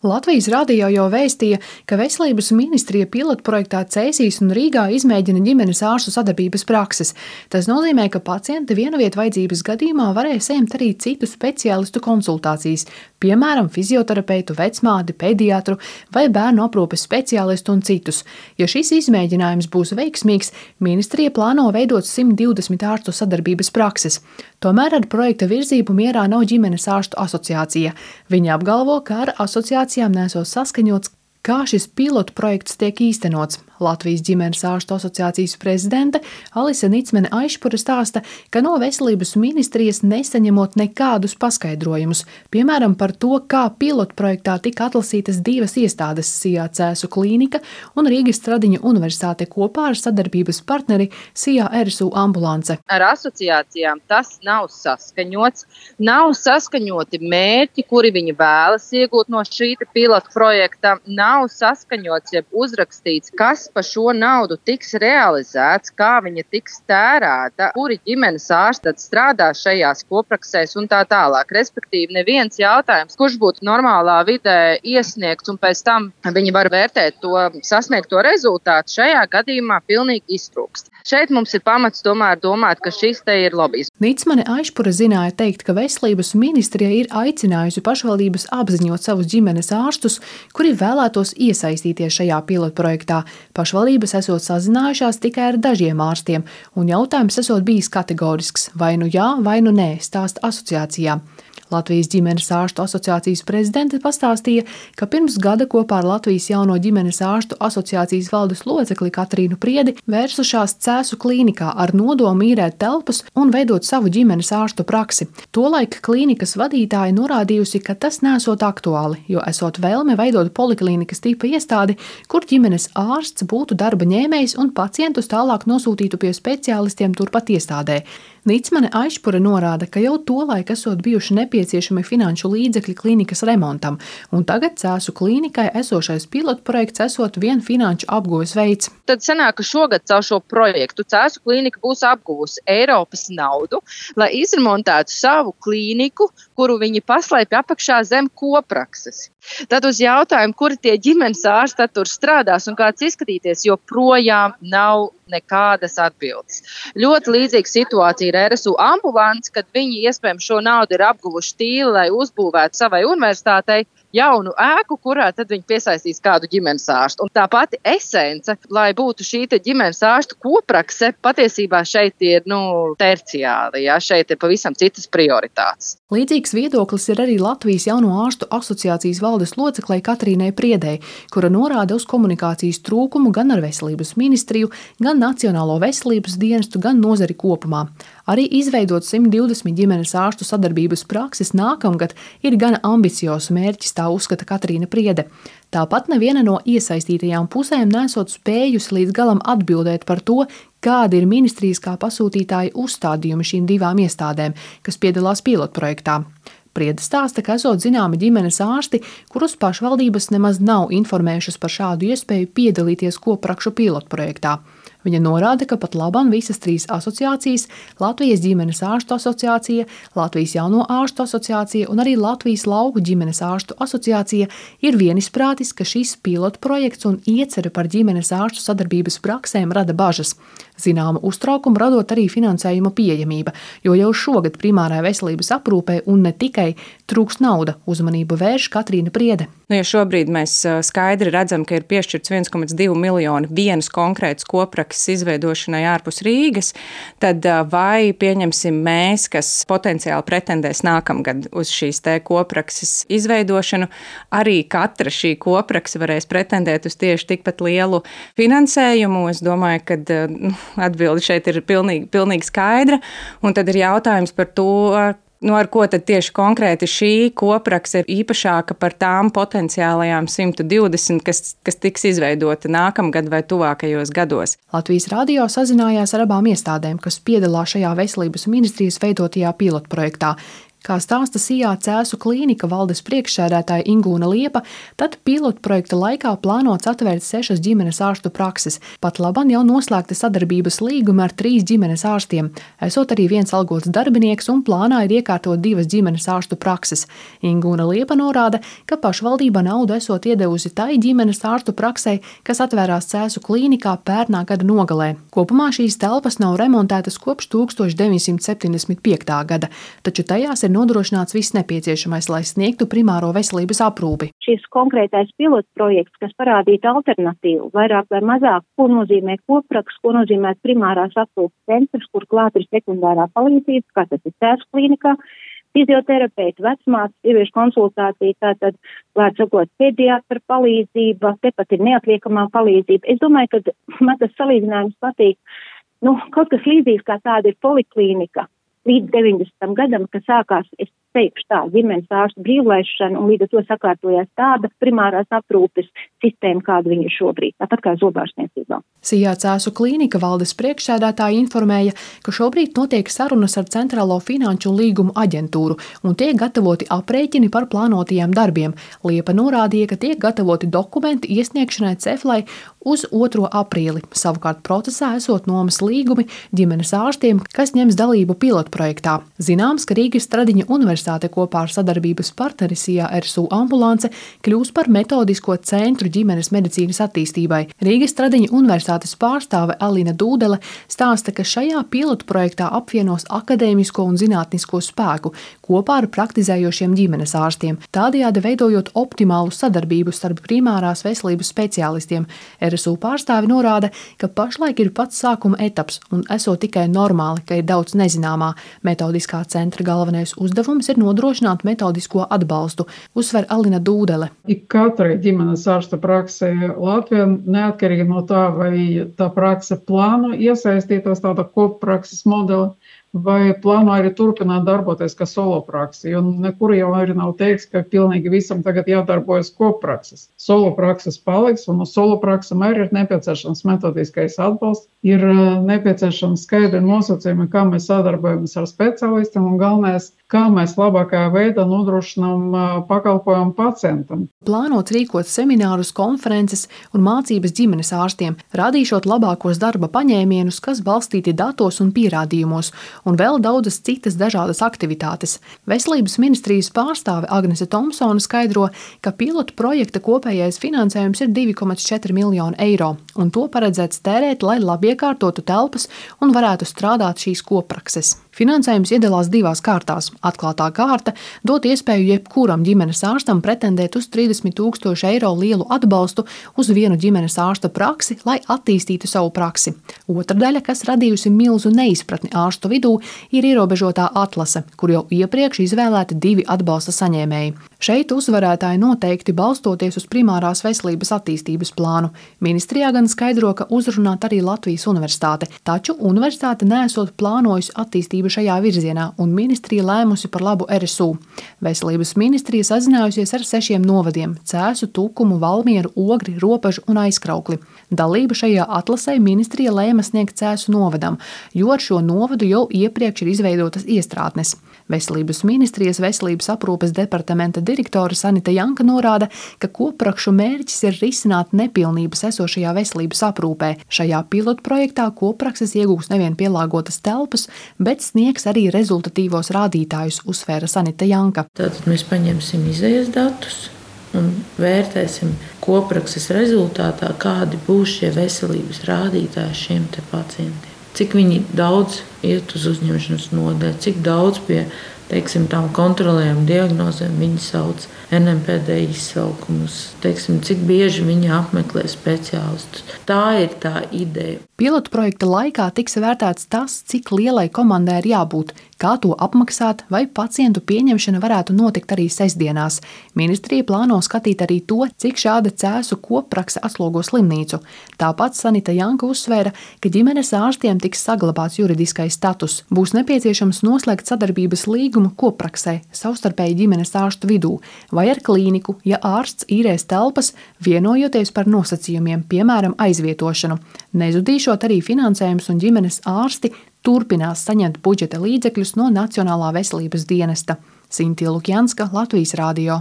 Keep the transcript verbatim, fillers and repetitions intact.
Latvijas radio jau vēstīja, ka Veselības ministrija pilotprojektā Cēsīs un Rīgā izmēģina ģimenes ārstu sadarbības prakses. Tas nozīmē, ka pacienti vienavietu vajadzības gadījumā varēs saņemt arī citu speciālistu konsultācijas, piemēram, fizioterapeitu, vecmādi, pediatru vai bērnu aprūpes speciālistu un citus. Ja šis izmēģinājums būs veiksmīgs, ministrija plāno veidot simt divdesmit ārstu sadarbības prakses. Tomēr ar projekta virzību mierā nav ģimenes ārstu asociācija. Viņi apgalvo, ka ar asociācijām nesot saskaņots, kā šis pilotu projekts tiek īstenots. Latvijas ģimenes ārstu asociācijas prezidente Alise Nicmene-Aišpure stāsta, ka no Veselības ministrijas nesaņemot nekādus paskaidrojumus, piemēram par to, kā pilotu projektā tika atlasītas divas iestādes – Sijā Cēsu klīnika un Rīgas Stradiņu universitāte kopā ar sadarbības partneri Sijā R S U ambulance. Ar asociācijām tas nav saskaņots, nav saskaņoti mērķi, kuri viņi vēlas iegūt no šī pilotu projekta, nav saskaņots, jeb uzrakstīts, kas pa šo naudu tiks realizēts, kā viņa tiks tērēta, kuri ģimenes ārsti tad strādā šajās kopraksēs un tā tālāk. Respektīvi, neviens jautājums, kurš būtu normālā vidē iesniegts un pēc tam viņi var vērtēt to sasniegto rezultātu, šajā gadījumā pilnīgi iztrūkst. Šeit mums ir pamats tomēr domāt, ka šis te ir lobijs. Nicmene-Aišpure zināja teikt, ka Veselības ministrija ir aicinājusi pašvaldības apziņot savus ģimenes ārstus, kuri vēlētos iesaistīties šajā pilotprojektā. Pašvaldības esot sazinājušās tikai ar dažiem ārstiem, un jautājums esot bijis kategorisks – vai nu jā, vai nu nē, stāsta asociācijā. Latvijas ģimenes ārstu asociācijas prezidente pastāstīja, ka pirms gada kopā ar Latvijas jauno ģimenes ārstu asociācijas valdes locekli Katrīnu Priedi vērsušās Cēsu klīnikā ar nodomu īrēt telpas un veidot savu ģimenes ārstu praksi. Tolaik klīnikas vadītāja norādījusi, ka tas nesot aktuāli, jo esot vēlme veidot poliklīnikas tipa iestādi, kur ģimenes ārsts būtu darba ņēmējs un pacientus tālāk nosūtītu pie speciālistiem turpat iestādē. Nicmene-Aišpure norāda, ka jau tolaik esot bijuši nepieciešami finanšu līdzekļi klīnikas remontam, un tagad Cēsu klīnikai esošais pilotprojekts esot vien finanšu apguves veids. Tad sanāk, ka šogad caur šo projektu Cēsu klīnika būs apguvusi Eiropas naudu, lai izremontētu savu klīniku, kuru viņi paslēpj apakšā zem koprakses. Tad uz jautājumu, kuri tie ģimenes ārsti tur strādās un kāds izskatīties, joprojām nav nekādas atbildes. Ļoti līdzīga situācija ir R S U ambulance, kad viņi iespējams šo naudu ir apguvuši tīli, lai uzbūvētu savai universitātei jaunu ēku, kurā tad viņi piesaistīs kādu ģimenes ārstu. Un tā pati esence, lai būtu šī ģimenes ārstu koprakse, patiesībā šeit ir nu, terciāli, ja? Šeit ir pavisam citas prioritātes. Līdzīgs viedoklis ir arī Latvijas jauno ārstu asociācijas valdes loceklei Katrīnai Priedei, kura norāda uz komunikācijas trūkumu gan ar Veselības ministriju, gan Nacionālo veselības dienestu, gan nozari kopumā. Arī izveidot simt divdesmit ģimenes ārstu sadarbības prakses nākamgad ir gana ambiciozs mērķis, tā uzskata Katrīna Priede. Tāpat neviena no iesaistītajām pusēm nesot spējusi līdz galam atbildēt par to, kādi ir ministrijas kā pasūtītāji uzstādījumi šīm divām iestādēm, kas piedalās pilotprojektā. Priede stāsta, ka esot zināmi ģimenes ārsti, kurus pašvaldības nemaz nav informējušas par šādu iespēju piedalīties koprakšu pilotprojektā. Viņa norāda, ka pat labam visas trīs asociācijas – Latvijas ģimenes ārstu asociācija, Latvijas jauno ārstu asociācija un arī Latvijas lauku ģimenes ārstu asociācija ir vienisprātis, ka šis pilotprojekts un iecere par ģimenes ārstu sadarbības praksēm rada bažas. Zināmu uztraukumu radot arī finansējuma pieejamība, jo jau šogad primārai veselības aprūpē un ne tikai trūks nauda, uzmanību vērš Katrīna Priede. Nu, ja šobrīd mēs skaidri redzam, ka ir piešķirts viens komats divi miljoni vienas konkrētas koprakses izveidošanai ārpus Rīgas, tad vai pieņemsim mēs, kas potenciāli pretendēs nākamgad uz šīs te koprakses izveidošanu, arī katra šī koprakse varēs pretendēt uz tieši tikpat lielu finansējumu? Es domāju, ka nu, atbilde šeit ir pilnīgi, pilnīgi skaidra, un tad ir jautājums par to, nu, ar ko tad tieši konkrēti šī koprakse ir īpašāka par tām potenciālajām simt divdesmit, kas, kas tiks izveidota nākamgad vai tuvākajos gados? Latvijas radio sazinājās ar abām iestādēm, kas piedalās šajā Veselības ministrijas veidotajā pilotprojektā. Kā stāsta Sijā Cēsu klīnika valdes priekšsēdētāja Ingūna Liepa, tad pilotprojekta laikā plānots atvērt sešas ģimenes ārstu prakses. Pat labam jau noslēgta sadarbības līguma ar trīs ģimenes ārstiem, esot arī viens algots darbinieks un plānā ir iekārtot divas ģimenes ārstu prakses. Ingūna Liepa norāda, ka pašvaldība naudu esot iedevusi tai ģimenes ārstu praksei, kas atvērās Cēsu klīnikā pērnā gada nogalē. Kopumā šīs telpas nav remontētas kopš tūkstoš deviņsimt septiņdesmit piektā gada, taču tajās ir nodrošināts viss nepieciešamais, lai sniegtu primāro veselības aprūpi. Šis konkrētais pilotprojekts, kas parādītu alternatīvu, vairāk vai mazāk, ko nozīmē kopraks, ko nozīmē primārās aprūpes centrs, kur klāt ir sekundārā palīdzība, kā tas ir Cēsu klīnikā, fizioterapeiti, vecmātes, sieviešu konsultācija, tātad, klāt sakot, pediatra palīdzība, tepat ir neatliekamā palīdzība. Es domāju, ka man tas salīdzinājums patīk. Nu, kaut kas līdzīgs kā tāda ir poliklīnika. Līdz deviņdesmitam gadam, kad sākās, es teikšu tā, ģimenes ārstu brīvlaišana, un līdz ar to sakārtojās tāda primārās aprūpes sistēma, kāda viņa ir šobrīd, tāpat kā zobārstniecībā. Sijā Cēsu klīnika valdes priekšsēdētāja informēja, ka šobrīd notiek sarunas ar Centrālo finanšu un līgumu aģentūru un tiek gatavoti aprēķini par plānotajiem darbiem. Liepa norādīja, ka tiek gatavoti dokumenti iesniegšanai Ceflai uz otro aprīli. Savukārt procesā esot nomas līgumi ģimenes ārstiem, kas ņems dalību pilotprojektā. Zināms, ka Rīgas Stradiņa universitāte kopā ar sadarbības partneri Sijā R S U ambulance kļūs par metodisko centru ģimenes medicīnas attīstībai. Rīgas Stradiņa universitātes pārstāve Alina Dūdele stāsta, ka šajā pilotprojektā apvienos akadēmisko un zinātnisko spēku kopā ar praktizējošiem ģimenes ārstiem, tādējādi veidojot optimālu sadarbību starp primārās veselības speciālistiem. R S U pārstāvi norāda, ka pašlaik ir pats sākuma etaps un esot tikai normāli, ka ir daudz nezināmā. Metodiskā centra galvenais uzdevums ir nodrošināt metodisko atbalstu, uzsver Alina Dūdele. Ik katrai ģimenes ārsta praksē Latvijā, neatkarīgi no tā, vai tā prakse plāno iesaistītos tāda kopprakses modeli, vai plāno arī turpināt darboties kā soloprakse, jo nekur jau arī nav teiks, ka pilnīgi visam tagad jādarbojas kopprakses. Soloprakses paliks, un uz solopraksam arī ir nepieciešams metodiskais atbalsts, ir nepieciešams skaidri nosacījumi, kā mēs sadarbojamies ar speciālistiem, un galvenais, kā mēs labākajā veidā nodrošinām pakalpojumu pacientam. Plānots rīkot seminārus, konferences un mācības ģimenes ārstiem, rādīšot labākos darba paņēmienus, kas balstīti datos un pierādījumos, un vēl daudzas citas dažādas aktivitātes. Veselības ministrijas pārstāve Agnese Tomsone skaidro, ka pilotu projekta kopējais finansējums ir divi komats četri miljoni eiro, un to paredzēts tērēt, lai labi iekārtotu telpas un varētu strādāt šīs kopprakses. Finansējums iedalās divās kārtās. Atklātā kārta dot iespēju jebkuram ģimenes ārstam pretendēt uz trīsdesmit tūkstošu eiro lielu atbalstu uz vienu ģimenes ārsta praksi, lai attīstītu savu praksi. Otra daļa, kas radījusi milzu neizpratni ārstu vidū, ir ierobežotā atlase, kur jau iepriekš izvēlēti divi atbalsta saņēmēji. Šeit uzvarētāji noteikti balstoties uz primārās veselības attīstības plānu. Ministrijā gan skaidro, ka uzrunāt arī Latvijas universitāte, taču universitāte neesot plānojusi attīstību šajā virzienā, un ministrija lēmusi par labu R S U. Veselības ministrija sazinājusies ar sešiem novadiem – Cēsu, Tukumu, Valmieru, Ogri, Ropažu un Aizkraukli. Dalību šajā atlasē ministrija lēma sniegt Cēsu novadam, jo ar šo novadu jau iepriekš ir izveidotas iestrādnes. Veselības ministrijas veselības aprūpes departamenta direktore Sanita Janka norāda, ka kopprakšu mērķis ir risināt nepilnības esošajā veselības aprūpē. Šajā pilotprojektā kopprakses iegūs nevien pielāgotas telpas, bet sniegs arī rezultatīvos rādītājus, uzsvēra Sanita Janka. Tātad mēs paņemsim izējas datus un vērtēsim kopprakses rezultātā, kādi būs šie veselības rādītāji šiem te pacientiem. Cik viņi daudz iet uz uzņemšanas nodaļu, cik daudz pie, teiksim, tām kontrolējām diagnozēm viņi sauc N M P D izsaukumus, teiksim, cik bieži viņi apmeklē speciālistus. Tā ir tā ideja. Pilotu projekta laikā tiks vērtēts tas, cik lielai komandai ir jābūt, kā to apmaksāt, vai pacientu pieņemšana varētu notikt arī sestdienās. Ministrija plāno skatīt arī to, cik šāda Cēsu kopprakse atslogo slimnīcu. Tāpat Sanita Janka uzsvēra, ka ģimenes ārstiem tiks saglabāts juridiskais status. Būs nepieciešams noslēgt sadarbības līgumu koppraksē, savstarpēji ģimenes ārstu vidū, vai ar klīniku, ja ārsts īrēs telpas, vienojoties par nosacījumiem, piemēram, aizvietošanu. Nezudīšot arī finansējums un ģimenes ārsti turpinās saņemt budžeta līdzekļus no Nacionālā veselības dienesta. Sintīna Lukjanska, Latvijas radio.